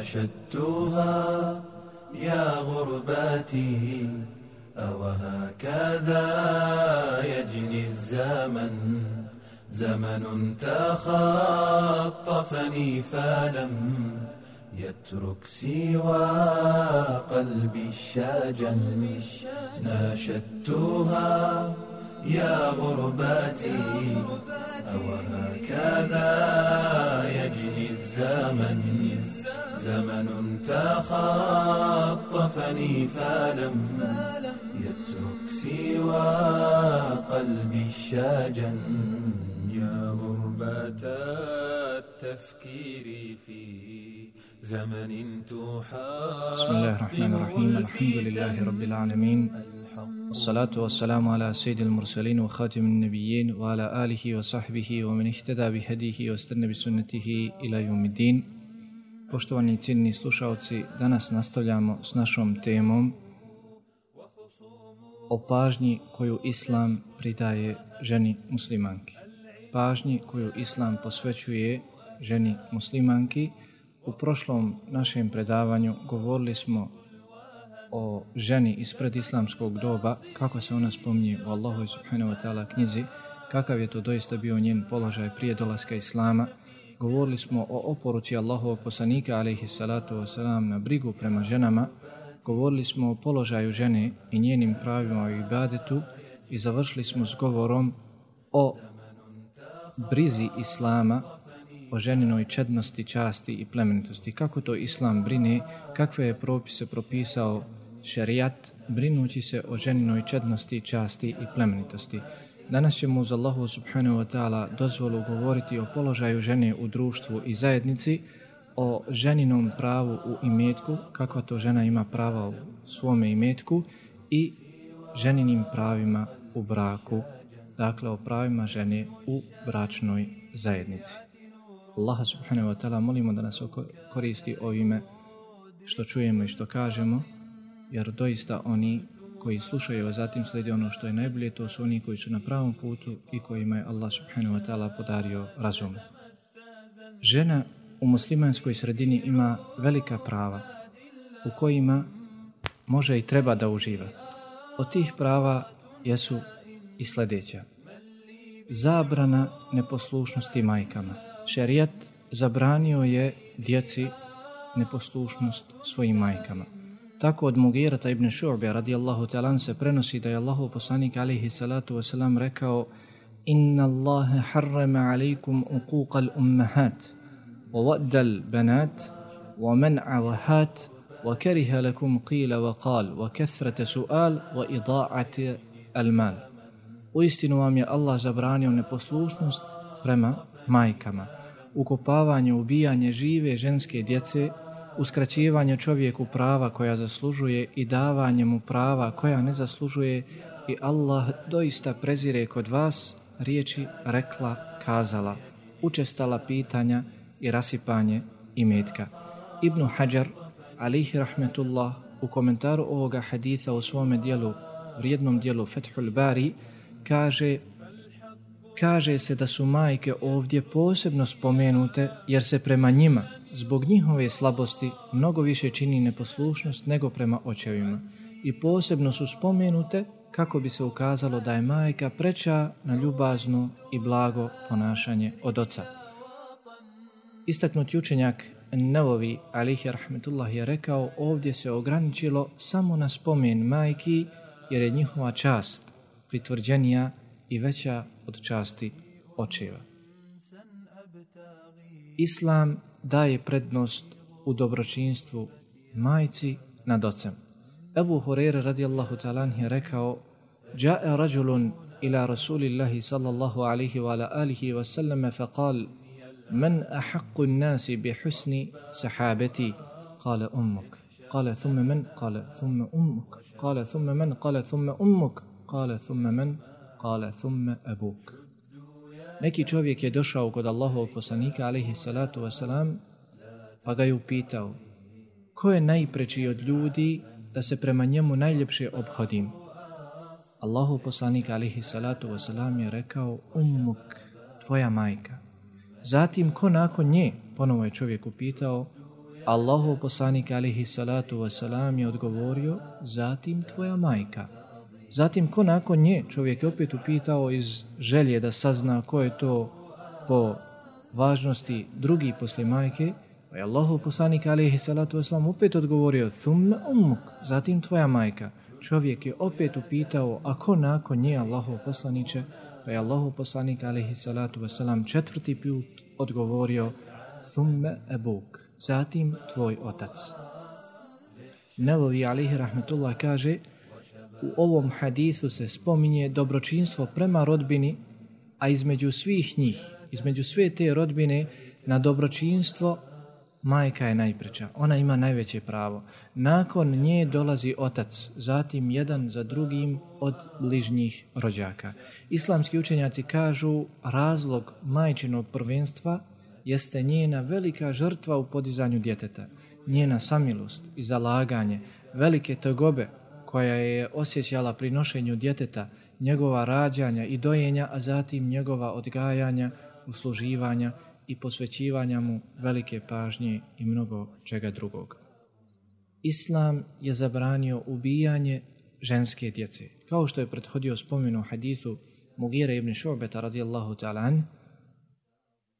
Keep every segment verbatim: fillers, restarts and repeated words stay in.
ناشدتها يا غرباتي أوهكذا يجني الزمن زمن تخطفني فلم يترك سوى قلبي الشجن ناشدتها يا غرباتي أوهكذا يجني الزمن زمن تخطفني فلم يترك سوى قلبي الشجن يا غربة التفكير في زمن تحاط. بسم الله الرحمن الرحيم. الحمد لله رب العالمين، والصلاة والسلام على سيد المرسلين وخاتم النبيين وعلى آله وصحبه ومن اهتدى بهديه واستنى بسنته إلى يوم الدين. Poštovani cijenjeni slušaoci, danas nastavljamo s našom temom o pažnji koju Islam pridaje ženi muslimanki. Pažnji koju Islam posvećuje ženi muslimanki. U prošlom našem predavanju govorili smo o ženi ispred islamskog doba, kako se ona spominje u Allahovoj subhanahu wa ta'ala knjizi, kakav je to doista bio njen položaj prije dolaska Islama. Govorili smo o oporuci Allahovog poslanika alejhi salatu vesselam na brigu prema ženama. Govorili smo o položaju žene i njenim pravima u ibadetu i završili smo s govorom o brizi Islama, o ženinoj čednosti, časti i plemenitosti. Kako to Islam brine, kakve je propise propisao šerijat, brinući se o ženinoj čednosti, časti i plemenitosti. Danas ćemo uz Allahu subhanahu wa ta'ala dozvolu govoriti o položaju žene u društvu i zajednici, o ženinom pravu u imetku, kakva to žena ima prava u svome imetku, i ženinim pravima u braku, dakle o pravima žene u bračnoj zajednici. Allaha subhanahu wa ta'ala molimo da nas koristi ovime što čujemo i što kažemo, jer doista oni koji slušaju, a zatim slijede ono što je najbolje, to su oni koji su na pravom putu i kojima je Allah subhanahu wa ta'ala podario razum. Žena u muslimanskoj sredini ima velika prava u kojima može i treba da uživa. Od tih prava jesu i sljedeća. Zabrana neposlušnosti majkama. Šerijat zabranio je djeci neposlušnost svojim majkama. Tako od Mugirata ibn Šu'be radijallahu ta'ala se prenosi da je Allahov poslanik alejhi salatu vesselam rekao: Inna Allahe harrama alejkum uquqal ummahat wa waddal banat wa man'a wahat wa kariha lakum qila wa qal wa kathrata su'al wa ida'ati al-mal. Uistinu vam je Allah zabranio neposlušnost prema majkama, ukopavanje, ubijanje žive ženske djece, uskraćivanje čovjeku prava koja zaslužuje i davanje mu prava koja ne zaslužuje, i Allah doista prezire kod vas riječi rekla, kazala, učestala pitanja i rasipanje imetka. Ibn Hajar alejhi rahmetullah u komentaru ovoga haditha u svome dijelu, vrijednom dijelu Fethul Bari, kaže kaže se da su majke ovdje posebno spomenute jer se prema njima zbog njihove slabosti mnogo više čini neposlušnost nego prema očevima, i posebno su spomenute kako bi se ukazalo da je majka preča na ljubazno i blago ponašanje od oca. Istaknuti učenjak Nevovi alejhi rahmetullah je rekao: ovdje se ograničilo samo na spomen majki jer je njihova čast pritvrđenija i veća od časti očeva. Islam daje prednost u dobročinstvu majci nad ocem. Ebu Hurajra radijallahu ta'ala anhu je rekao: Ja'a rajulun ila rasulillahi sallallahu alaihi wa ala alihi wa sallam faqal man ahaqqu an-nasi bi husni sahabati? Qala ummuk. Qala thumma man? Qala thumma ummuk. Qala thumma man? Qala thumma ummuk. Qala thumma man? Qala thumma abuk. Neki čovjek je došao kod Allahovog poslanika alejhi salatu wasalam, pa ga je upitao: ko je najpreči od ljudi da se prema njemu najljepše obhodim? Allahov poslanik alejhi salatu wasalam je rekao: ummuk, tvoja majka. Zatim, ko nakon nje? Ponovo je čovjek upitao, Allahov poslanik alejhi salatu vesselam je odgovorio, zatim tvoja majka. Zatim ko nakon nje, čovjek je opet upitao iz želje da sazna ko je to po važnosti drugi poslije majke, pa je Allahov poslanik alejhi salatu vesselam opet odgovorio, thumma ummuk, zatim tvoja majka. Čovjek je opet upitao, a ko nakon nje, Allahov poslaniče, pa je Allahov poslanik alejhi salatu vesselam četvrti put odgovorio, thumma abuk, zatim tvoj otac. Nevevi alejhi rahmetullah kaže, u ovom hadisu se spominje dobročinstvo prema rodbini, a između svih njih, između sve te rodbine, na dobročinstvo majka je najpreča. Ona ima najveće pravo. Nakon nje dolazi otac, zatim jedan za drugim od bližnjih rođaka. Islamski učenjaci kažu razlog majčinog prvenstva jeste njena velika žrtva u podizanju djeteta, njena samilost i zalaganje, velike tegobe koja je osjećala pri nošenju djeteta, njegova rađanja i dojenja, a zatim njegova odgajanja, usluživanja i posvećivanja mu velike pažnje i mnogo čega drugog. Islam je zabranio ubijanje ženske djece. Kao što je prethodio spomenu hadithu Mugire ibn Šu'beta radijallahu ta'ala an,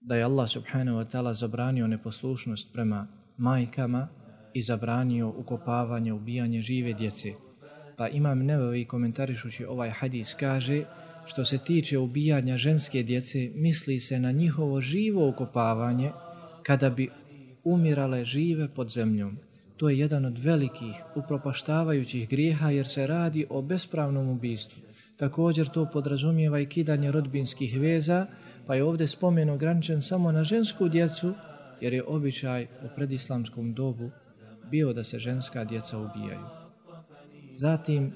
da je Allah subhanahu wa ta'ala zabranio neposlušnost prema majkama i zabranio ukopavanje, ubijanje žive djece. Pa Imam Nevevi komentarišući ovaj hadis kaže, što se tiče ubijanja ženske djece, misli se na njihovo živo ukopavanje kada bi umirale žive pod zemljom. To je jedan od velikih upropaštavajućih grijeha jer se radi o bespravnom ubistvu. Također to podrazumijeva i kidanje rodbinskih veza, pa je ovdje spomen ograničen samo na žensku djecu, jer je običaj u predislamskom dobu bio da se ženska djeca ubijaju. Zatim,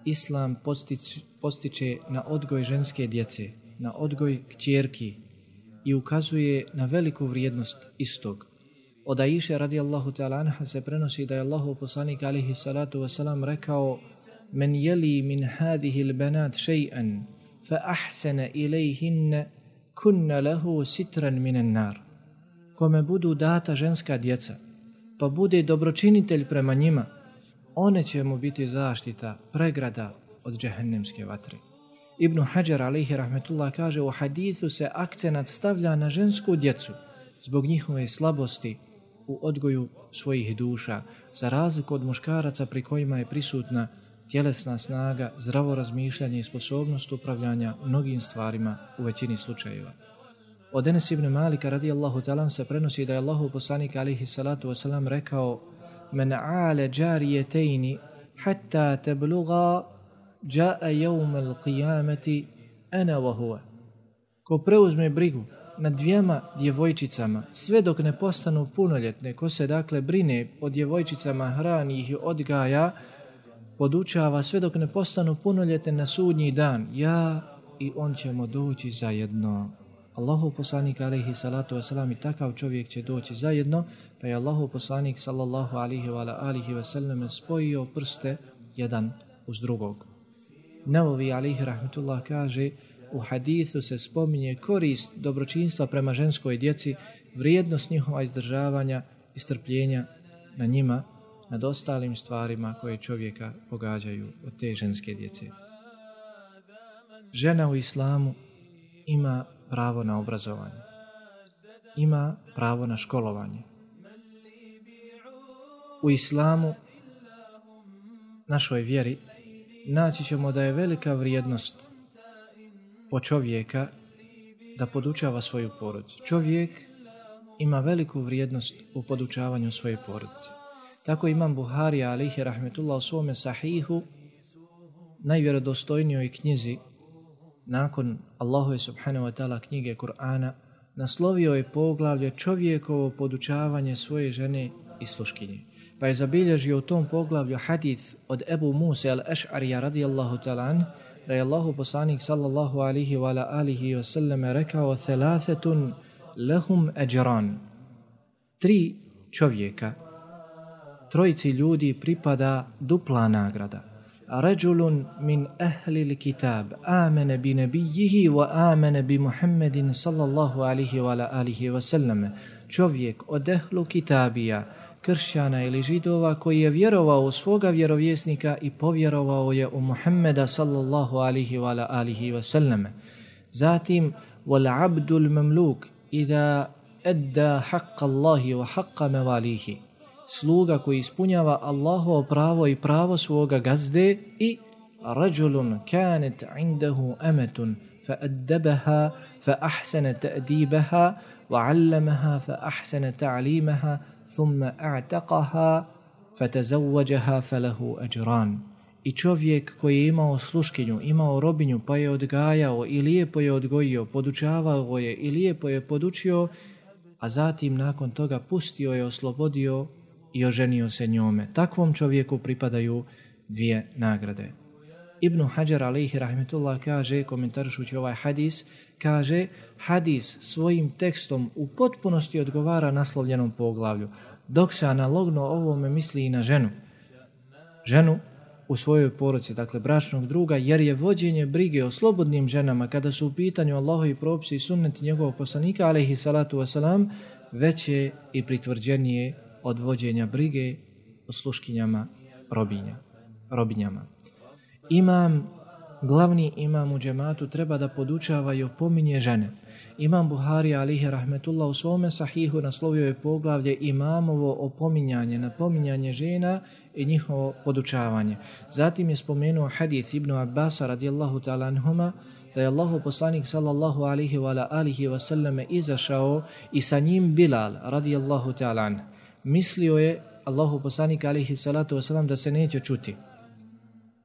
Islam postiče, postiče na odgoj ženske djece, na odgoj kćerki i ukazuje na veliku vrijednost istog. Od Aiše radijallahu ta'ala anha se prenosi da je Allahov poslanik alejhi salatu vesselam rekao: "Men yali min hadihi al-banat shay'an fa ahsana ilayhinna kunna lahu sitran min an-nar." Kome budu data ženska djeca, pa bude dobročinitelj prema njima, one će mu biti zaštita, pregrada od džehennemske vatre. Ibn Hajar alejhi rahmetullah kaže, u hadithu se akcenat stavlja na žensku djecu zbog njihove slabosti u odgoju svojih duša, za razliku od muškaraca pri kojima je prisutna tjelesna snaga, zdravo razmišljanje i sposobnost upravljanja mnogim stvarima u većini slučajeva. Od Enes ibn Malika radijallahu ta'ala se prenosi da je Allahov poslanik alejhi salatu vesselam rekao: "Men aale džarijetejni hatta tebluga jaa yawm al-qiyamati ana wa huwa." Ko preuzme brigu nad dvijema djevojčicama sve dok ne postanu punoljetne, ko se dakle brine o djevojčicama, hrani ih i odgaja, podučava sve dok ne postanu punoljetne na sudnji dan, ja i on ćemo doći zajedno. Allahov poslanik alejhi salatu vesselam i takav čovjek će doći zajedno, pa je Allahov poslanik sallallahu alejhi wa alihi ve sellem spojio prste jedan uz drugog. Nevevi alejhi rahmetullah kaže, u hadithu se spominje korist dobročinstva prema ženskoj djeci, vrijednost njihova izdržavanja i strpljenja na njima, nad ostalim stvarima koje čovjeka pogađaju od te ženske djece. Žena u islamu ima pravo na obrazovanje, ima pravo na školovanje. U islamu, našoj vjeri, naći ćemo da je velika vrijednost po čovjeka da podučava svoju porodicu. Čovjek ima veliku vrijednost u podučavanju svoje porodice. Tako Imam Buharija alejhi rahmetullah u svome sahihu, najvjerodostojnijoj knjizi nakon Allahove subhanahu wa ta'ala knjige Kur'ana, naslovio je poglavlje čovjekovo podučavanje svoje žene i sluškinje. Pa je zabilježio u tom poglavlju hadith od Ebu Musa al-Eš'arija radijallahu ta'ala an, da je Allahu poslanik sallallahu alihi wa alihi wa sallam rekao: "Thalathatun lahum ajran." Tri čovjeka, trojici ljudi pripada dupla nagrada. Rajulun min ahli l-kitab amene bi nebijihi wa amene bi Muhammedin sallallahu alihi wa alihi wa sallam. Čovjek od ehlu kitabija kršćana ili židova koji je vjerovao u svoga vjerovjesnika i povjerovao je u Muhammeda sallallahu alihi wa alihi wa sallam. Zatim, wal abdul mamluk ida edda haqqa Allahi wa haqqa mevalihi. Sluga koji ispunjava Allahovo pravo i pravo svoga gazde i rajulun kanat indahu amatun fa addabaha fa ahsana ta'dibaha wa 'allamaha fa ahsana ta'limaha thumma a'taqaha fa tazawwajaha falahu ajran. I čovjek koji je imao sluškinju, imao robinju pa je odgajao i lijepo je odgojio, podučavao je i lijepo je podučio, a zatim nakon toga pustio je, oslobodio i oženio se njome. Takvom čovjeku pripadaju dvije nagrade. Ibn Hajar alejhi rahmetullah kaže, komentarišući ovaj hadis, kaže hadis svojim tekstom u potpunosti odgovara naslovljenom poglavlju, dok se analogno ovome misli i na ženu. Ženu u svojoj porodici, dakle bračnog druga, jer je vođenje brige o slobodnim ženama kada su u pitanju Allahovi propisi i sunneti njegovog poslanika alejhi salatu wasalam veće i pritvrđenije od vođenja brige o sluškinjama robinja, robinjama. Imam, glavni imam u džematu treba da podučava i opominje žene. Imam Buhari alejhi rahmetullah u svome sahihu naslovio je poglavlje imamovo opominjanje, napominjanje žena i njihovo podučavanje. Zatim je spomenuo hadith Ibn Abbasa radijallahu ta'ala anhuma da je Allahov poslanik sallallahu alaihi wa alihi wa sallam izašao i sa njim Bilal radijallahu ta'ala anh. Mislio je Allahov poslanik alaihi salatu wa sallam da se neće čuti.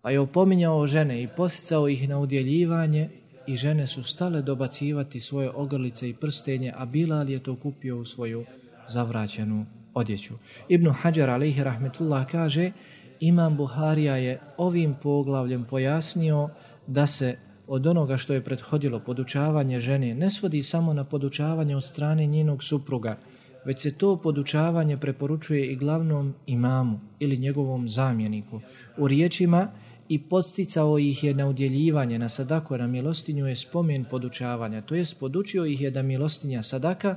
Pa je opominjao žene i posticao ih na udjeljivanje i žene su stale dobacivati svoje ogrlice i prstenje, a Bilal je to kupio u svoju zavraćenu odjeću. Ibn Hajar alejhi rahmetullah kaže, imam Buharija je ovim poglavljem pojasnio da se od onoga što je prethodilo podučavanje žene ne svodi samo na podučavanje od strane njenog supruga, već se to podučavanje preporučuje i glavnom imamu ili njegovom zamjeniku. U riječima i podsticao ih je na udjeljivanje, na sadaku, na milostinju je spomen podučavanja, to jest podučio ih je da milostinja sadaka,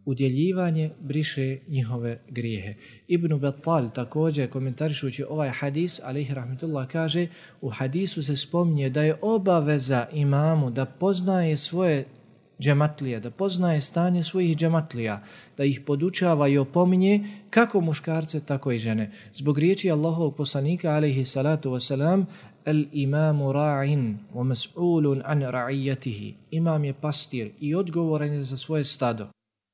udjeljivanje briše njihove grijehe. Ibn Battal također komentarišući ovaj hadis, alejhi rahmetullah, kaže u hadisu se spominje da je obaveza imamu da poznaje svoje džematlije, da poznaje stanje svojih džematlija, da ih podučava i opominje kako muškarce, tako i žene. Zbog riječi Allahovog poslanika alejhi salatu wasalam, el imamu ra'in wa mas'ulun an ra'iyatihi. Imam je pastir i odgovoran je za svoje stado.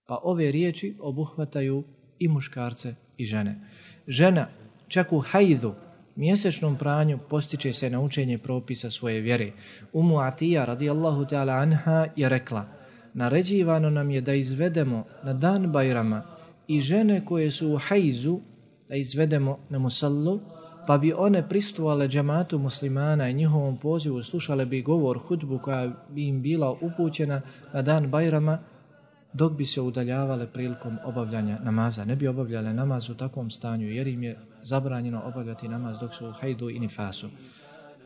Pa ove riječi obuhvataju i muškarce i žene. Žena čak u hajdu, mjesečnom pranju, postiče se na učenje propisa svoje vjere. Umu Atija radijallahu ta'ala anha je rekla, naređivano nam je da izvedemo na dan Bajrama i žene koje su u hajzu, da izvedemo na musallu, pa bi one pristvovale džamatu muslimana i njihovom pozivu slušale bi govor, hudbu koja bi im bila upućena na dan Bajrama, dok bi se udaljavale prilikom obavljanja namaza. Ne bi obavljale namaz u takvom stanju jer im je zabranjeno obavljati namaz dok su u hajdu i nifasu.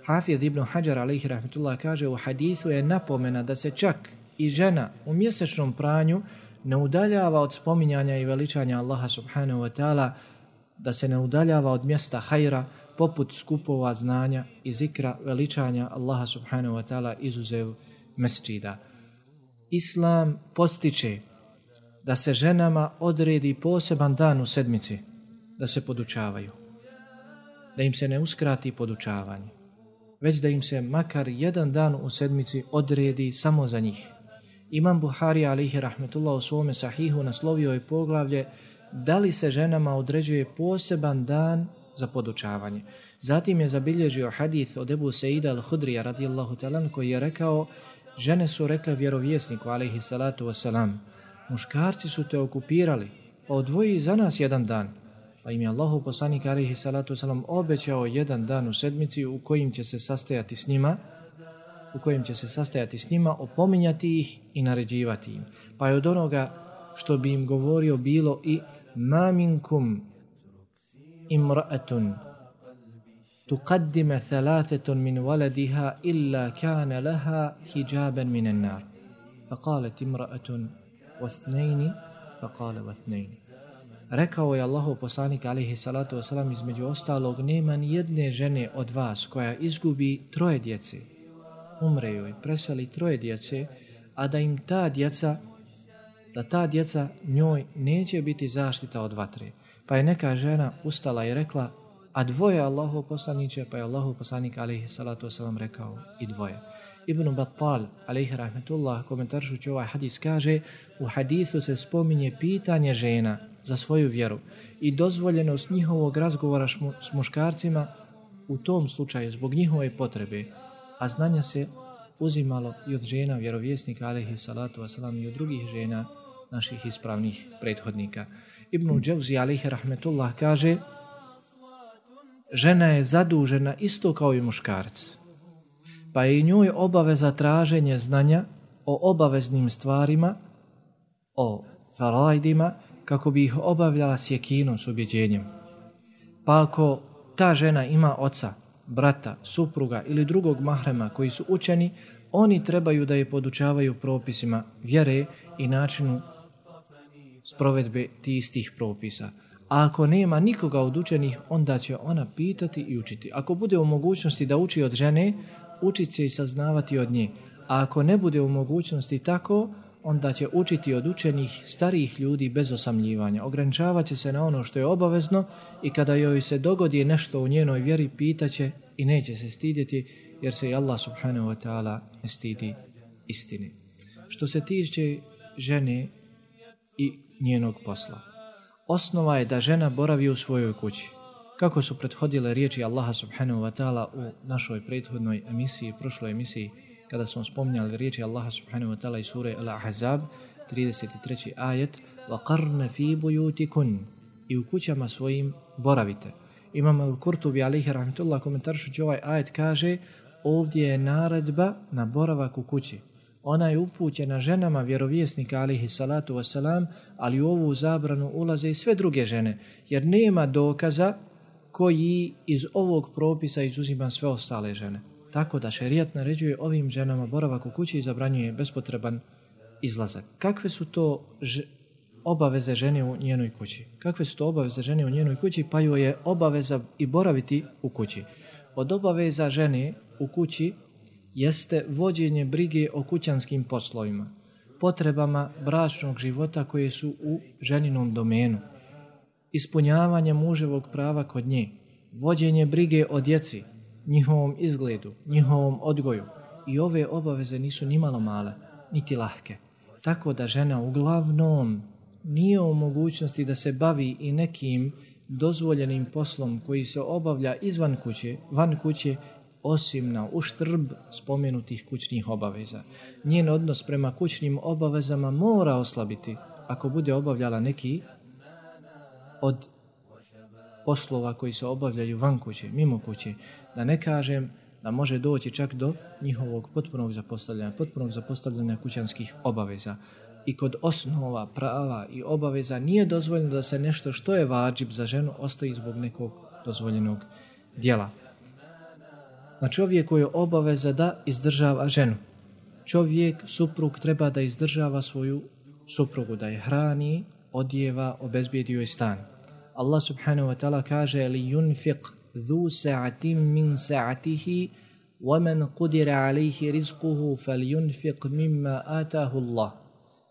Hafid ibn Hajar alejhi rahmetullah kaže u hadithu je napomena da se čak i žena u mjesečnom pranju ne udaljava od spominjanja i veličanja Allaha subhanahu wa ta'ala, da se ne udaljava od mjesta hajra poput skupova znanja i zikra veličanja Allaha subhanahu wa ta'ala izuzev mesdžida. Islam postiče da se ženama odredi poseban dan u sedmici da se podučavaju, da im se ne uskrati podučavanje, već da im se makar jedan dan u sedmici odredi samo za njih. Imam Buhari alejhi rahmetullah u svome sahihu naslovio je poglavlje da li se ženama određuje poseban dan za podučavanje. Zatim je zabilježio hadith od Ebu Seida al-Hudrija radijallahu ta'ala koji je rekao, žene su rekle vjerovjesniku alejhi salatu wasalam, muškarci su te okupirali, pa odvoji za nas jedan dan. Pa im je Allahov poslanik alejhi salatu wasalam obećao jedan dan u sedmici u kojim će se sastajati s njima, u kojim će se sastajati s njima, opominjati ih i naređivati im. Pa je od onoga što bi im govorio bilo i ma minkum imra'atun tuqaddima thalathatun min waladiha illa kana laha hijaban min an-nar. Faqalat imra'atun wathnayn faqala wathnayn. Rekao je Allahov poslanik alejhi salatu vesselam između ostalog, nema ni jedne žene od vas koja izgubi troje djece, umre joj, preseli troje djece, a da im ta djeca, da ta djeca njoj neće biti zaštita od vatre. Pa je neka žena ustala i rekla, a dvoje Allahov poslaniče, pa je Allahov poslanik alejhi salatu vesselam rekao i dvoje. Ibn Battal alejhi rahmetullah komentaršući ovaj hadis kaže, u hadisu se spominje pitanje žena za svoju vjeru i dozvoljenost njihovog razgovora šmu, s muškarcima u tom slučaju zbog njihove potrebe, a znanja se uzimalo i od žena vjerovjesnika alejhi salatu vesselam i od drugih žena naših ispravnih prethodnika. Ibn Dževzi alejhi rahmetullah kaže, žena je zadužena isto kao i muškarac, pa je i njoj obaveza traženje znanja o obaveznim stvarima, o farajdima, kako bi ih obavljala s jekinom, s ubjeđenjem. Pa ako ta žena ima oca, brata, supruga ili drugog mahrema koji su učeni, oni trebaju da je podučavaju propisima vjere i načinu sprovedbe tih istih propisa. A ako nema nikoga od učenih, onda će ona pitati i učiti. Ako bude u mogućnosti da uči od žene, učit će i saznavati od nje. A ako ne bude u mogućnosti tako, onda će učiti od učenih starijih ljudi bez osamljivanja. Ograničavat će se na ono što je obavezno i kada joj se dogodi nešto u njenoj vjeri, pitaće i neće se stidjeti, jer se i Allah subhanahu wa ta'ala ne stidi istine. Što se tiče žene i njenog posla, osnova je da žena boravi u svojoj kući. Kako su prethodile riječi Allaha subhanahu wa ta'ala u našoj prethodnoj emisiji, prošloj emisiji, kada smo spominjali riječi Allaha subhanahu wa ta'ala iz sure Al-Ahzab, trideset treći ajet, وَقَرْنَ فِي بُيُوتِكُنْ, i u kućama svojim boravite. Imam Al-Kurtubi alejhi rahmetullah komentaršući ovaj ajet kaže, ovdje je naredba na boravak u kući. Ona je upućena ženama vjerovjesnika alejhi salatu wasalam, ali u ovu zabranu ulaze i sve druge žene, jer nema dokaza koji iz ovog propisa izuzima sve ostale žene. Tako da šerijat naređuje ovim ženama boravak u kući i zabranjuje bespotreban izlazak. Kakve su to ž- obaveze žene u njenoj kući? Kakve su to obaveze žene u njenoj kući? Pa joj je obaveza i boraviti u kući. Od obaveza žene u kući jeste vođenje brige o kućanskim poslovima, potrebama bračnog života koje su u ženinom domenu, ispunjavanje muževog prava kod nje, vođenje brige o djeci, njihovom izgledu, njihovom odgoju. I ove obaveze nisu ni malo male, niti lahke. Tako da žena uglavnom nije u mogućnosti da se bavi i nekim dozvoljenim poslom koji se obavlja izvan kuće, van kuće, osim na uštrb spomenutih kućnih obaveza. Njen odnos prema kućnim obavezama mora oslabiti ako bude obavljala neki od poslova koji se obavljaju van kuće, mimo kuće. Da ne kažem da može doći čak do njihovog potpunog zapostavljanja, potpunog zapostavljanja kućanskih obaveza. I kod osnova, prava i obaveza nije dozvoljeno da se nešto što je vadžib za ženu ostavi zbog nekog dozvoljenog djela. Na čovjeku je obaveza da izdržava ženu. Čovjek, suprug, treba da izdržava svoju suprugu, da je hrani, odjeva, obezbijedi joj stan. Allah subhanahu wa ta'ala kaže li yunfiq dhu sa'atim min sa'atihi wa man qudira alayhi rizquhu falyunfiq mimma atahu Allah.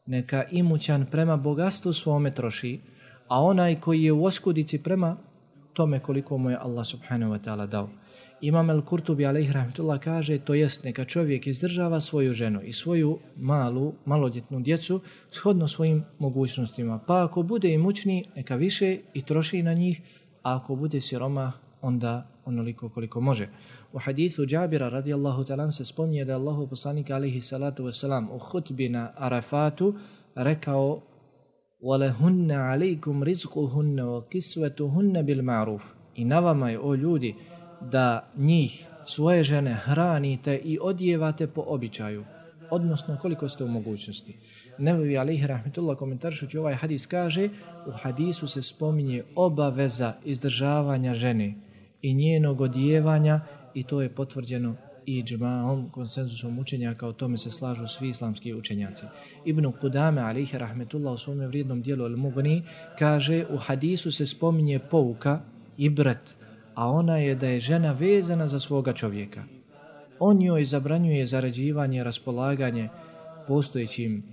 Neka imućan prema bogatstvu svome troši, a onaj koji je u oskudici prema tome koliko mu je Allah subhanahu wa ta'ala dao. Imam Al-Kurtubi alejhi rahmetullah kaže, to jest neka čovjek izdržava svoju ženu i svoju malu, malodjetnu djecu shodno svojim mogućnostima. Pa ako bude imućni, neka više i troši na njih, a ako bude siroma, onda onoliko koliko može. U hadithu Džabira radijallahu ta'ala se spominje da je Allahu poslanik alejhi salatu wasalam u hutbi na Arafatu rekao وَلَهُنَّ عَلَيْكُمْ رِزْقُهُنَّ وَكِسْوَتُهُنَّ بِالْمَعْرُوفِ. I na vama je, o ljudi, da njih, svoje žene, hranite i odjevate po običaju, odnosno koliko ste u mogućnosti. Nevevi alejhi rahmetullah komentaršući ovaj hadis kaže, u hadisu se spominje obaveza izdržavanja žene i njenog odjevanja i to je potvrđeno i džmaom, konsenzusom učenjaka, o tome se slažu svi islamski učenjaci. Ibn Qudame, alejhi rahmetullah, u svome vrijednom dijelu Al-Mughni, kaže, u hadisu se spominje pouka, ibret, a ona je da je žena vezana za svoga čovjeka. On joj zabranjuje zarađivanje, raspolaganje postojećim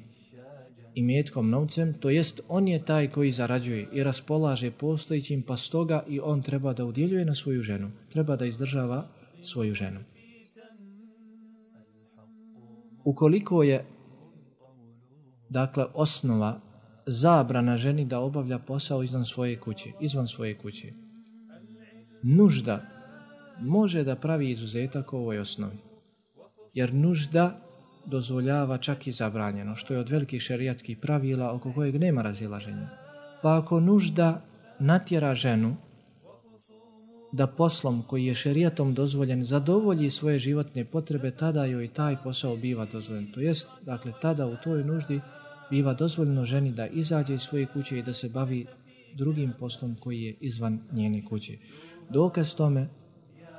imetkom, novcem, to jest on je taj koji zarađuje i raspolaže postojećim, pa stoga i on treba da udjeljuje na svoju ženu, treba da izdržava svoju ženu. Ukoliko je, dakle, osnova zabrana ženi da obavlja posao izvan svoje kuće, izvan svoje kuće, nužda može da pravi izuzetak u ovoj osnovi, jer nužda dozvoljava čak i zabranjeno, što je od velikih šerijatskih pravila oko kojeg nema razilaženja. Pa ako nužda natjera ženu da poslom koji je šerijatom dozvoljen zadovolji svoje životne potrebe, tada joj taj posao biva dozvoljen. To jest, dakle, tada u toj nuždi biva dozvoljeno ženi da izađe iz svoje kuće i da se bavi drugim poslom koji je izvan njene kuće. Dokaz tome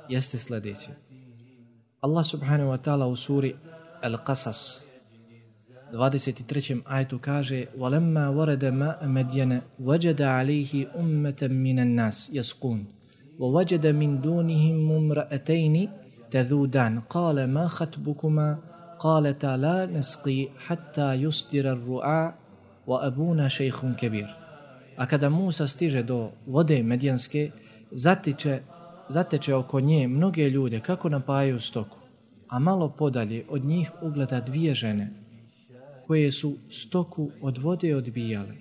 jeste sljedeće. Allah subhanahu wa ta'ala u suri Al-Qasas dvadeset trećem ajetu kaže: وَلَمَّا وَرَدَ مَاءَ مَدْيَنَ وَجَدَ عَلَيْهِ أُمَّةً مِّنَ النَّاسِ يَسْقُونَ وَوَجَدَ مِن دُونِهِمْ امْرَأَتَيْنِ تَذُودَانِ قَالَ مَا خَطْبُكُمَا قَالَتَا لَا نَسْقِي حَتَّى يُصْدِرَ الرُّعَاءُ وَأَبُونَا شَيْخٌ كَبِيرٌ. A kada Musa stiže do vode Medjanske, zatiče, zateče oko nje mnoge ljude kako napajaju stoku, a malo podalje od njih ugleda dvije žene koje su stoku od vode odbijale.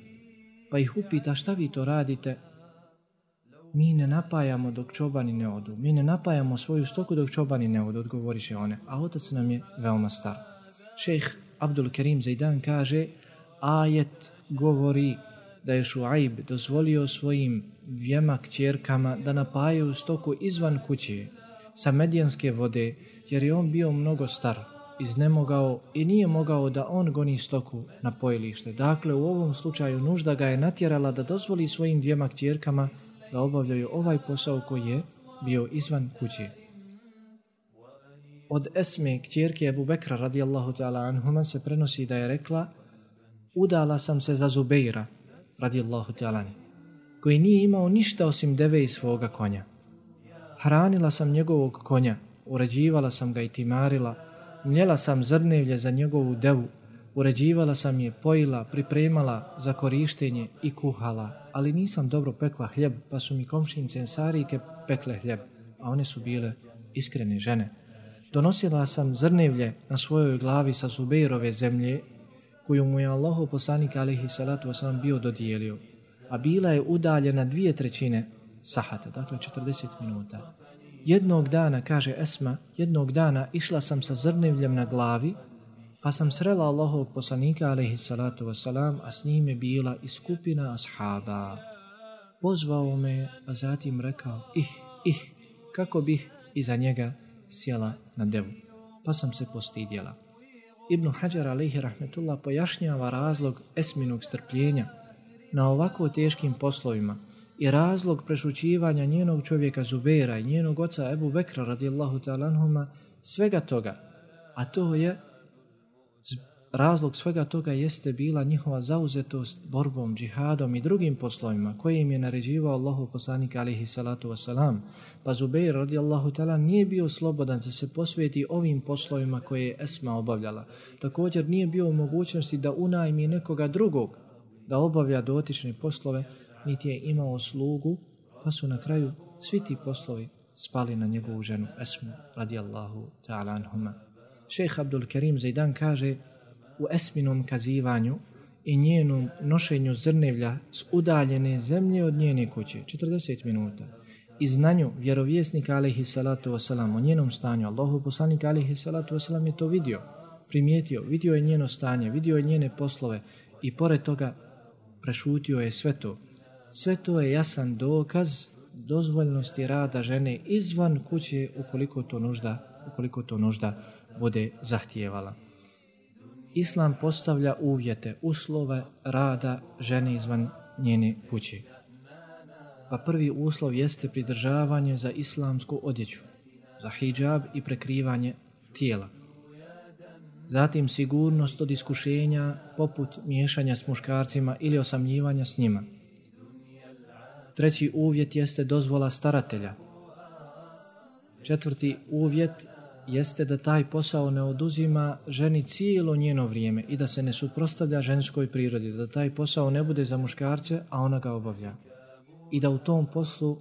Pa ih upita: šta vi to radite? Mi ne napajamo dok čobani ne odu. Mi ne napajamo svoju stoku dok čobani ne odu, odgovoriše one. A otac nam je veoma star. Šejh Abdul Kerim Zaidan kaže: ajet govori da je Šuajb dozvolio svojim dvijema kćerkama da napajaju stoku izvan kuće sa medjanske vode, jer je on bio mnogo star, iznemogao i nije mogao da on goni stoku na pojilište. Dakle, u ovom slučaju nužda ga je natjerala da dozvoli svojim dvijema kćerkama da obavljaju ovaj posao koji je bio izvan kuće. Od Esme, kćerke Ebu Bekra radijallahu ta'ala anhuma, se prenosi da je rekla: udala sam se za Zubeira radijallahu ta'ala, koji nije imao ništa osim deve i svoga konja. Hranila sam njegovog konja, uređivala sam ga i timarila, mljela sam zrnevlje za njegovu devu, uređivala sam je, pojila, pripremala za korištenje i kuhala, ali nisam dobro pekla hljeb, pa su mi komšinice Ensarike pekle hljeb, a one su bile iskrene žene. Donosila sam zrnevlje na svojoj glavi sa Zubeirove zemlje, koju mu je Allahov poslanik alejhi salatu vesselam bio dodijelio, a bila je udaljena dvije trećine sahata, dakle četrdeset minuta. Jednog dana, kaže Esma, jednog dana išla sam sa zrnevljem na glavi, pa sam srela Allahovog poslanika alejhi salatu vesselam, a s njim je bila i skupina ashaba. Pozvao me, a zatim rekao: ih, ih, kako bih iza njega sjela na devu, pa sam se postidjela. Ibn Hajar alejhi rahmetullah pojašnjava razlog Esminog strpljenja na ovako teškim poslovima i razlog prešućivanja njenog čovjeka Zubeira i njenog oca Ebu Bekra radijallahu ta'ala anhuma, svega toga, a to je razlog svega toga jeste bila njihova zauzetost borbom, džihadom i drugim poslovima koje im je naređivao Allahov poslanik alejhi salatu vesselam. Pa Zubeir radijallahu ta'ala nije bio slobodan da se posveti ovim poslovima koje je Esma obavljala. Također nije bio u mogućnosti da unajmi nekoga drugog da obavlja dotične poslove, niti je imao slugu, pa su na kraju svi ti poslovi spali na njegovu ženu Esmu radijallahu ta'ala anhuma. Šejh Abdul Kerim Zaidan kaže: u Esminom kazivanju i njenom nošenju zrnevlja s udaljene zemlje od njene kuće, četrdeset minuta, i znanju vjerovjesnika alejhi salatu wasalam o njenom stanju, Allahov poslanik alejhi salatu wasalam je to vidio, primijetio, vidio je njeno stanje, vidio je njene poslove i pored toga prešutio je sve to. Sve to je jasan dokaz dozvoljnosti rada žene izvan kuće ukoliko to nužda, ukoliko to nužda bude zahtijevala. Islam postavlja uvjete, uslove rada žene izvan njene kuće. Pa prvi uslov jeste pridržavanje za islamsku odjeću. za hidžab i prekrivanje tijela. Zatim sigurnost od iskušenja poput miješanja s muškarcima ili osamljivanja s njima. Treći uvjet jeste dozvola staratelja. Četvrti uvjet jeste da taj posao ne oduzima ženi cijelo njeno vrijeme i da se ne suprotstavlja ženskoj prirodi, da taj posao ne bude za muškarce, a ona ga obavlja. I da u tom poslu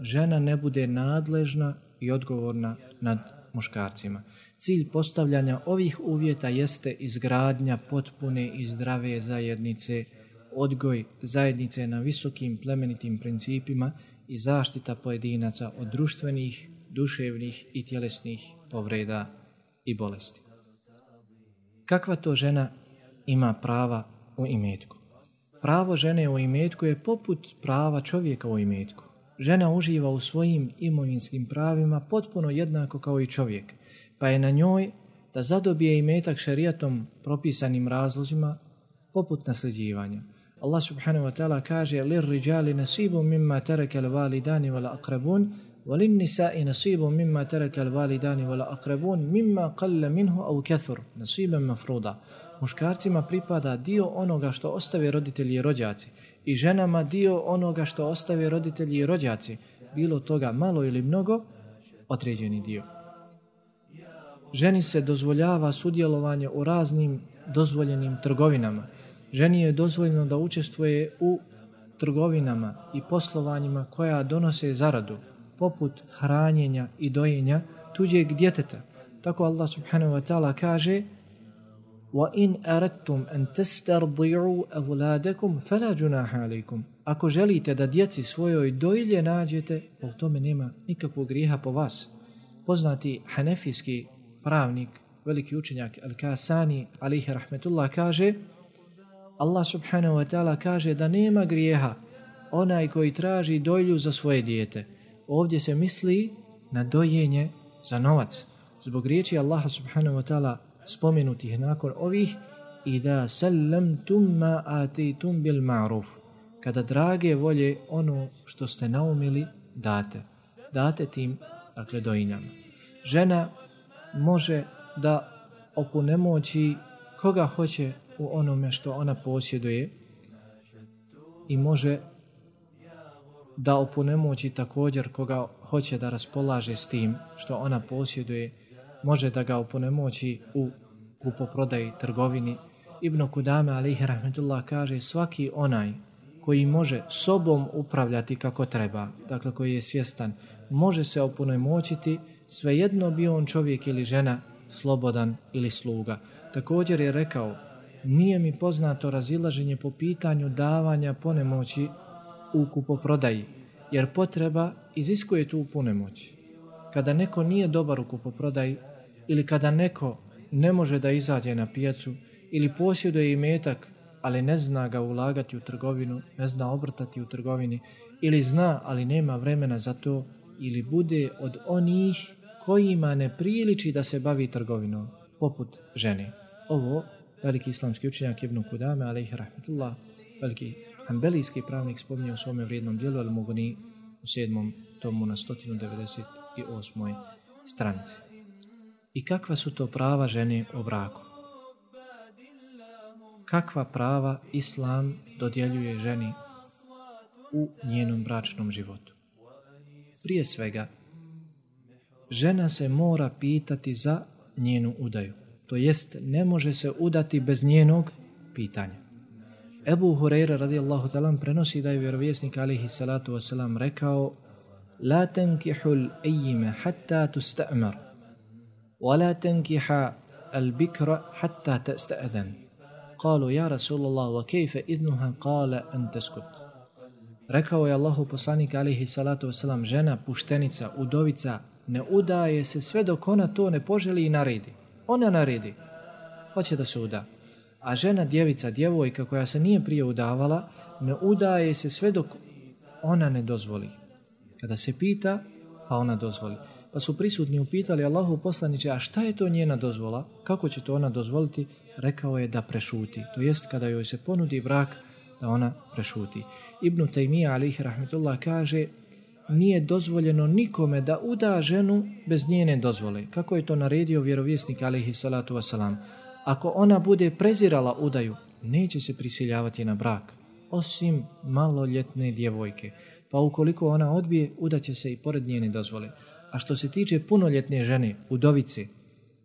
žena ne bude nadležna i odgovorna nad muškarcima. Cilj postavljanja ovih uvjeta jeste izgradnja potpune i zdrave zajednice, odgoj zajednice na visokim plemenitim principima i zaštita pojedinaca od društvenih, duševnih i tjelesnih povreda i bolesti. Kakva to žena ima prava u imetku? Pravo žene u imetku je poput prava čovjeka u imetku. Žena uživa u svojim imovinskim pravima potpuno jednako kao i čovjek, pa je na njoj da zadobije imetak šerijatom propisanim razlozima poput nasljeđivanja. Allah subhanahu wa ta'ala kaže: "Lirrijali nasibun mimma taraka al-walidani wal aqrabun wa lin-nisa'i nasibun mimma taraka al-walidani wal aqrabun mimma qalla minhu aw kathur nasiban mafruda." Muškarcima pripada dio onoga što ostave roditelji i rođaci i ženama dio onoga što ostave roditelji i rođaci, bilo toga malo ili mnogo, određeni dio. Ženi se dozvoljava sudjelovanje u raznim dozvoljenim trgovinama. Ženi je dozvoljeno da učestvuje u trgovinama i poslovanjima koja donose zaradu, poput hranjenja i dojenja tuđeg djeteta. Tako Allah subhanahu wa ta'ala kaže: وَإِنْ أَرَدْتُمْ أَنْ تَسْتَرْضِعُوا أَوْلَادَكُمْ فَلَا جُنَاحَ عَلَيْكُمْ. Ako želite da djeci svojoj dojilje nađete, u tome nema nikakvog grijeha po vas. Poznati hanefijski pravnik, veliki učenjak Al-Kasani, alaihi rahmetullah, kaže: Allah subhanahu wa ta'ala kaže da nema grijeha onaj koji traži dojlju za svoje dijete. Ovdje se misli na dojenje za novac. Zbog riječi Allaha subhanahu wa ta'ala spomenutih nakon ovih: "Ida sallamtum ma atitum bil ma'ruf." Kada drage volje ono što ste naumili date. Date tim, dakle, dojinjama. Žena može da opunomoći koga hoće u onome što ona posjeduje i može da opunomoći također koga hoće da raspolaže s tim što ona posjeduje. Može da ga opunomoći u kupoprodaji, trgovini. Ibn Kudame alejhi rahmetullah kaže: svaki onaj koji može sobom upravljati kako treba, dakle koji je svjestan, može se opunomoćiti, svejedno bio on čovjek ili žena, slobodan ili sluga. Također je rekao: nije mi poznato razilaženje po pitanju davanja punomoći u kupoprodaji, jer potreba iziskuje tu punomoć. Kada neko nije dobar u kupoprodaji ili kada neko ne može da izađe na pijacu ili posjeduje imetak, ali ne zna ga ulagati u trgovinu, ne zna obrtati u trgovini, ili zna, ali nema vremena za to, ili bude od onih kojima ne priliči da se bavi trgovinom, poput žene. Ovo veliki islamski učenjak Ibn Kudame, alejhi rahmetullah, veliki hanbelijski pravnik, spominje u svome vrijednom dijelu Al-Mughni u sedmom tomu na sto devedeset osmoj stranici. I kakva su to prava žene u braku? Kakva prava Islam dodjeljuje ženi u njenom bračnom životu? Prije svega, žena se mora pitati za njenu udaju. To jest, ne može se udati bez njenog pitanja. Ebu Hurajra radijallahu ta'ala prenosi da je vjerovjesnik alejhi salatu wasalam rekao: La tankihul ejime hatta tusta'mar, wa la tankiha al-bikra hatta tasta'adan. Kalu, ja Rasulallah, wa kejfe idnuha, kale an taskut. Rekao je Allahu poslanik alejhi salatu wasalam: žena, puštenica, udovica, ne udaje se sve dok ona to ne poželi i naredi. Ona naredi, hoće da se uda. A žena, djevica, djevojka koja se nije prije udavala, ne udaje se sve dok ona ne dozvoli. Kada se pita, pa ona dozvoli. Pa su prisutni upitali: Allahu poslaniče, a šta je to njena dozvola? Kako će to ona dozvoliti? Rekao je da prešuti. To jest, kada joj se ponudi brak, da ona prešuti. Ibn Taymija alejhi rahmetullah kaže: nije dozvoljeno nikome da uda ženu bez njene dozvole. Kako je to naredio vjerovjesnik alejhi salatu wasalam. Ako ona bude prezirala udaju, neće se prisiljavati na brak, osim maloljetne djevojke. Pa ukoliko ona odbije, udaće se i pored njene dozvole. A što se tiče punoljetne žene, udovice,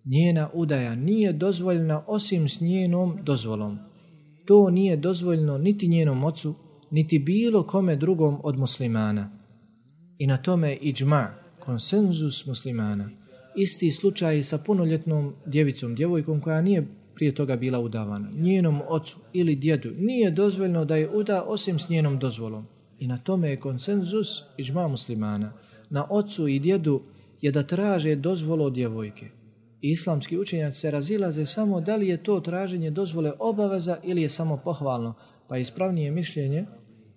njena udaja nije dozvoljena osim s njenom dozvolom. To nije dozvoljeno niti njenom ocu, niti bilo kome drugom od muslimana. I na tome je iđma, konsenzus muslimana. Isti slučaj sa punoljetnom djevicom, djevojkom koja nije prije toga bila udavana. Njenom ocu ili djedu nije dozvoljeno da je uda osim s njenom dozvolom. I na tome je konsenzus iđma muslimana. Na ocu i djedu je da traže dozvolu od djevojke. I islamski učenjaci se razilaze samo da li je to traženje dozvole obaveza ili je samo pohvalno. Pa ispravnije mišljenje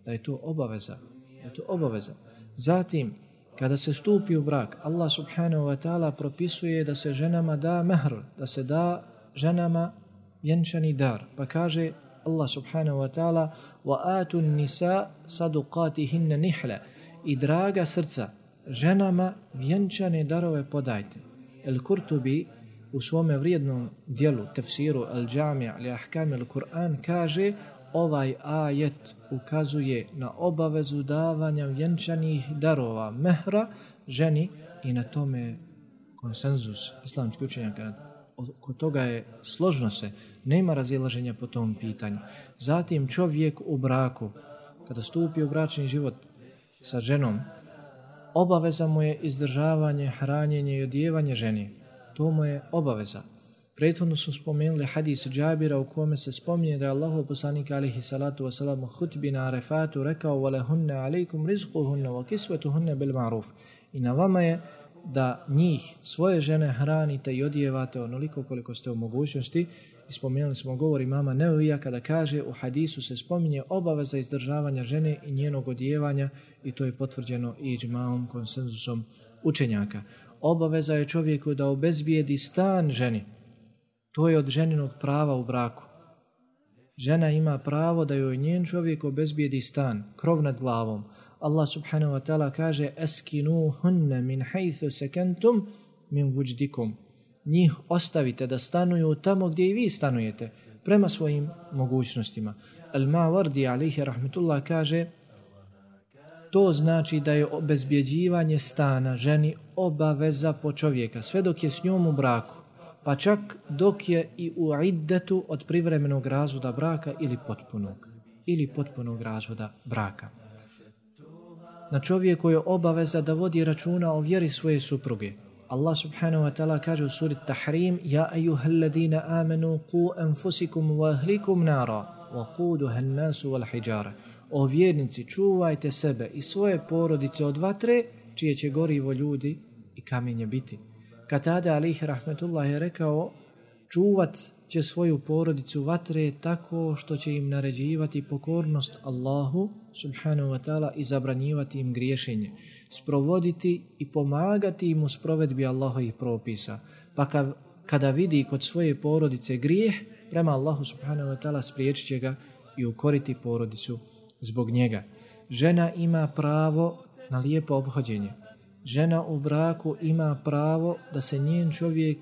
da je to obaveza. Da je to obaveza. Zatim, kada se stupi u brak, Allah subhanahu wa ta'ala propisuje da se ženama da mehr, da se da ženama vjenčani dar. Pa kaže Allah subhanahu wa ta'ala وَآتُ النِّسَاءَ صَدُقَاتِهِنَّ نِحْلَ i draga srca, ženama vjenčane darove podajte. El-Kurtubi u svome vrijednom dijelu tefsiru Al-Džamija li ahkam al-Kur'an kaže ovaj ajet ukazuje na obavezu davanja vjenčanih darova mehra ženi i na tome konsenzus islamskih učenjaka. Oko toga je složno se, nema razilaženja po tom pitanju. Zatim čovjek u braku, kada stupi u bračni život sa ženom, obaveza mu je izdržavanje, hranjenje i odjevanje ženi. To mu je obaveza. Prethodno su spomenuli hadis Džabira u kome se spominje da je Allahov poslanik alejhi salatu wasalam u hutbi na Arefatu rekao وَلَهُنَّ عَلَيْكُمْ رِزْقُهُنَّ وَكِسْوَتُهُنَّ بِالْمَعْرُوفِ i na vama je da njih, svoje žene, hranite i odjevate onoliko koliko ste u mogućnosti. I spomenuli smo govor imama Nevevija kada kaže u hadisu se spominje obaveza izdržavanja žene i njenog odjevanja i to je potvrđeno i iđmaom, konsenzusom učenjaka. Obaveza je čovjeku da obezbijedi stan ženi. To je od ženinog prava u braku. Žena ima pravo da joj njen čovjek obezbijedi stan, krov nad glavom. Allah subhanahu wa ta'ala kaže eskinuhunne min haythu sekentum min vujdikum. Njih ostavite da stanuju tamo gdje i vi stanujete, prema svojim mogućnostima. Al-Mawardi alejhi rahmetullah kaže to znači da je obezbjeđivanje stana ženi obaveza po čovjeka, sve dok je s njom u braku, pa čak dok je i u iddetu od privremenog razvoda braka ili potpunog, ili potpunog razvoda braka. Na čovjeku je obaveza da vodi računa o vjeri svoje supruge. Allah subhanahu wa ta'ala kaže u suri Tahrim Ja ejuhalladina amenu ku enfusikum wa ahlikum nara wa kuduha an-nasu wal hijara. O vjernici, čuvajte sebe i svoje porodice od vatre, čije će gorivo ljudi i kamenje biti. Katada alejhi rahmetullah je rekao, čuvat će svoju porodicu vatre tako što će im naređivati pokornost Allahu subhanahu wa ta'ala i zabranjivati im griješenje, sprovoditi i pomagati im u sprovedbi Allahovih propisa. Pa kada vidi kod svoje porodice grijeh, prema Allahu subhanahu wa ta'ala spriječit će ga i ukoriti porodicu zbog njega. Žena ima pravo na lijepo ophođenje. Žena u braku ima pravo da se njen čovjek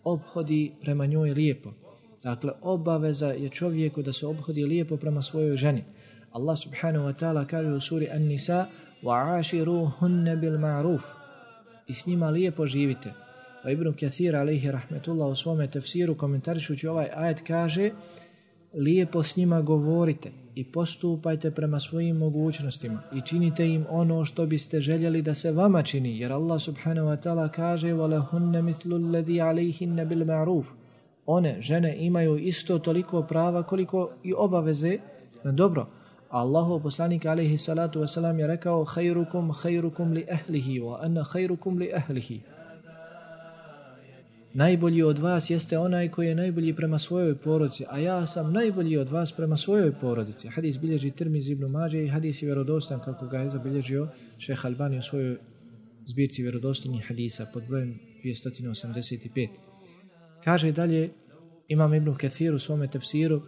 ophodi prema njoj lijepo. Dakle, obaveza je čovjeku da se ophodi lijepo prema svojoj ženi. Allah subhanahu wa ta'ala kaže u suri An-Nisa وَعَاشِرُوهُنَّ بِالْمَعْرُوفِ i s njima lijepo živite. Pa Ibn Kathir alejhi rahmetullah u svome tefsiru komentarišući ovaj ajet kaže lijepo s njima govorite i postupajte prema svojim mogućnostima i činite im ono što biste željeli da se vama čini, jer Allah subhanahu wa ta'ala kaže وَلَهُنَّ مِثْلُ الَّذِي عَلَيْهِنَّ بِالْمَعْرُوفِ one, žene, imaju isto toliko prava koliko i obaveze na dobro. Allahov poslanik alejhi salatu wasalam je rekao khairukum khairukum li ahlihi wa ana khairukum li ahlihi. Najbolji od vas jeste onaj koji je najbolji prema svojoj porodici, a ja sam najbolji od vas prema svojoj porodici. Hadis bilježi Tirmizi ibn Mađe i hadis je vjerodostan kako ga je zabilježio Šejh Albani u svojoj zbirci vjerodostojnih hadisa pod brojem dvjesto osamdeset pet. Kaže dalje Imam Ibn Kathir u svome tefsiru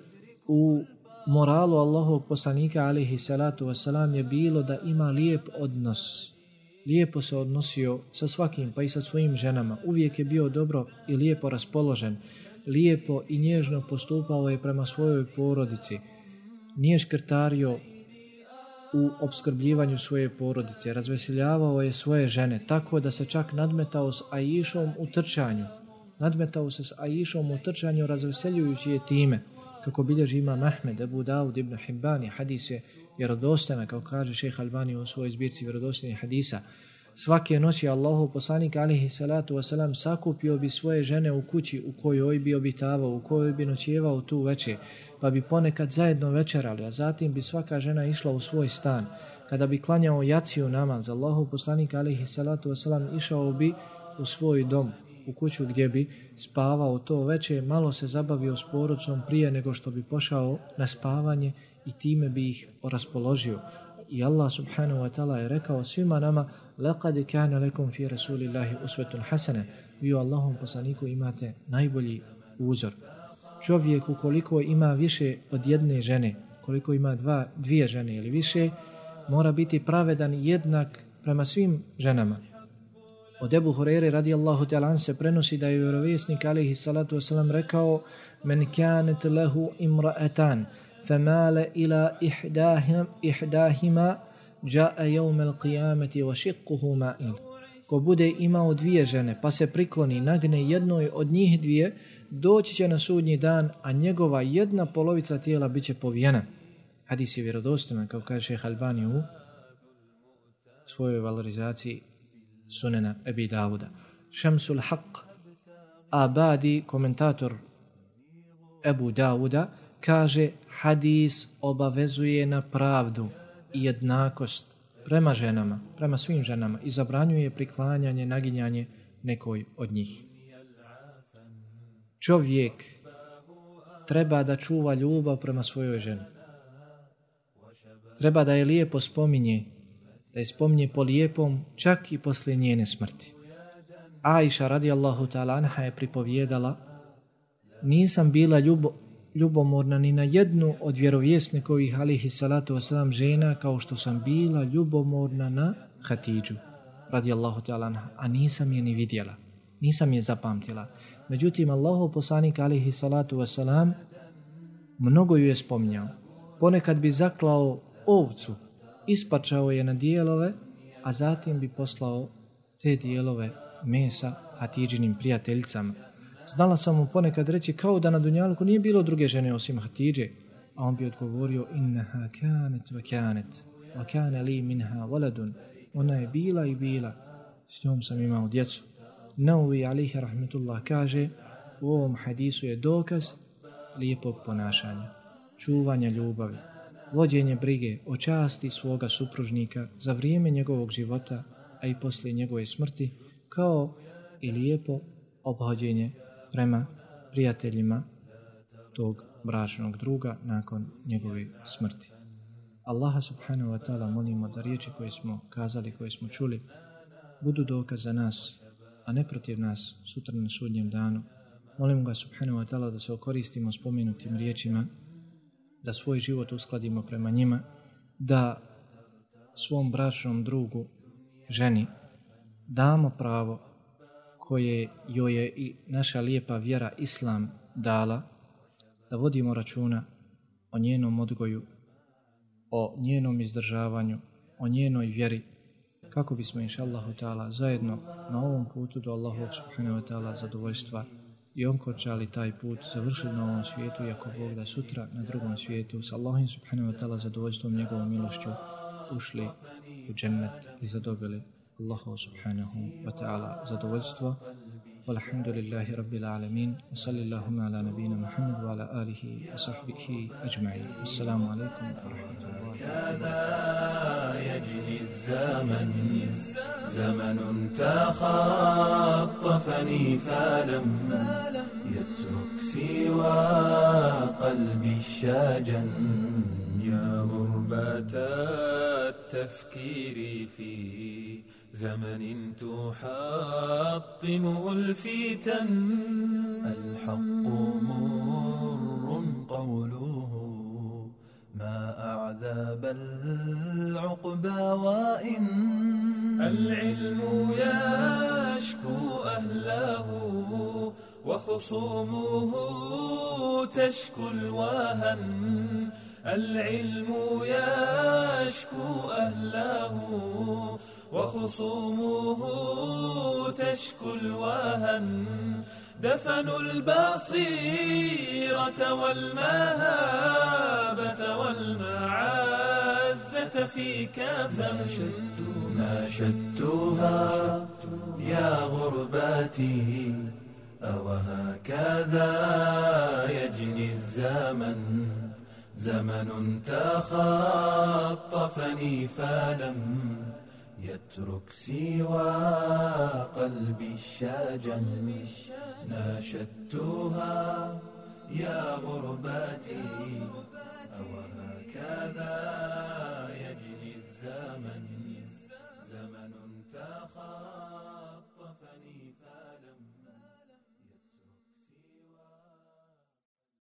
u moralu Allahovog poslanika alejhi salatu wasalam je bilo da ima lijep odnos lijepo se odnosio sa svakim, pa i sa svojim ženama. Uvijek je bio dobro i lijepo raspoložen. Lijepo i nježno postupao je prema svojoj porodici. Nije škrtario u opskrbljivanju svoje porodice. Razveseljavao je svoje žene, tako da se čak nadmetao s Aišom u trčanju. Nadmetao se s Aišom u trčanju, razveseljujući je time. Kako bilježi imam Ahmed, Ebu Davud ibn Hibban, hadis je vjerodostojna, kao kaže šejh Albani u svojoj zbirci vjerodostojnih hadisa. Svake noći Allahov poslanik alejhi salatu vesselam sakupio bi svoje žene u kući u kojoj bi obitavao, u kojoj bi noćevao tu večer, pa bi ponekad zajedno večerali, a zatim bi svaka žena išla u svoj stan. Kada bi klanjao jaciju namaz, Allahov poslanik alejhi salatu vesselam išao bi u svoj dom, u kuću gdje bi spavao to večer, malo se zabavio s porodicom prije nego što bi pošao na spavanje i time bi ih raspoložio. I Allah subhanahu wa ta'ala je rekao svima nama: laqad kana lakum fi rasulillahi uswatun hasana. Vi u Allahom poslaniku imate najbolji uzor. Čovjek ukoliko ima više od jedne žene, koliko ima dva, dvije žene ili više, mora biti pravedan jednak prema svim ženama. Od Ebu Hurajre radijallahu ta'ala se prenosi da je vjerovjesnik alejhi salatu vesselam rekao: men kanat lahu imra'atan famala ila ihdahim ihdahima jaa yawm al-qiyamati wa shiqquhu ma'il. Ko bude imao dvije žene pa se prikloni nagne jednoj od njih dvije, doći će na sudnji dan, a njegova jedna polovica tijela biće povijena. Hadis je vjerodostojan, kao kaže šejh Albani u svojoj valorizaciji Sunena Ebi Davuda. Šamsul Haq Abadi, komentator Ebu Davuda, kaže: hadis obavezuje na pravdu i jednakost prema ženama, prema svim ženama i zabranjuje priklanjanje, naginjanje nekoj od njih. Čovjek treba da čuva ljubav prema svojoj ženi. Treba da je lijepo spominje, da je spominje po lijepom čak i poslije njene smrti. Aisha radijallahu ta'ala anha je pripovjedala: nisam bila ljubo, ljubomorna ni na jednu od vjerovjesnikovih alejhi salatu vesselam žena kao što sam bila ljubomorna na Hatidžu radijallahu ta'ala anha, a nisam je ni vidjela, nisam je zapamtila. Međutim, Allahov poslanik alejhi salatu vesselam mnogo ju je spominjao. Ponekad bi zaklao ovcu, ispačao je na dijelove, a zatim bi poslao te dijelove mesa Hatidžinim prijateljicama. Znala sam mu ponekad reći kao da na dunjaluku nije bilo druge žene osim Hatidže, a on bi odgovorio: innaha kanet wa kanet wa kana li minha waladun. Ona je bila i bila, s njom sam imao djecu. Nawawi alejhi rahmetullah kaže: u ovom hadisu je dokaz lijepog ponašanja, čuvanja ljubavi, vođenje brige o časti svoga supružnika za vrijeme njegovog života, a i poslije njegove smrti, kao i lijepo obhođenje prema prijateljima tog bračnog druga nakon njegove smrti. Allaha subhanahu wa ta'ala molimo da riječi koje smo kazali, koje smo čuli, budu dokaz za nas, a ne protiv nas sutra na sudnjem danu. Molim ga subhanahu wa ta'ala da se okoristimo spomenutim riječima, da svoj život uskladimo prema njima, da svom bračnom drugu, ženi, damo pravo koje joj je i naša lijepa vjera Islam dala, da vodimo računa o njenom odgoju, o njenom izdržavanju, o njenoj vjeri, kako bismo inša Allahu ta'ala zajedno na ovom putu do Allahovog subhanahu wa ta'ala zadovoljstva i onkončali taj put, završili na ovom svijetu, i ako Bog da sutra na drugom svijetu s Allahom subhanahu wa ta'ala zadovoljstvom, njegovom milošću ušli u džennet i zadobili Allahu subhanahu wa ta'ala zadovoljstvo. Walhamdulillahi rabbil alamin. Wa sallallahu ala nabina Muhammad wa ala alihi wa sahbihi ajma'in. Assalamu alaikum wa rahmatullahi. كذا يجري الزمن زمن تخطفني فلم يترك سوى قلبي الشاجن يا غربة التفكير في زمن تحطمه الفتن الحق مر قوله ما أعذب العقبى وإن العلم يشكو أهله وخصومه تشكو الوهن. العلم يشكو أهله وخصومه تشكو الوهن. دفنوا البصيرة والمهابة والمعزة في كفن. ناشدتها يا غرباتي أوهكذا يجني الزمن. زمن تخطفني فلم يترك سوى قلبي الشجن. ناشدتها يا غرباتي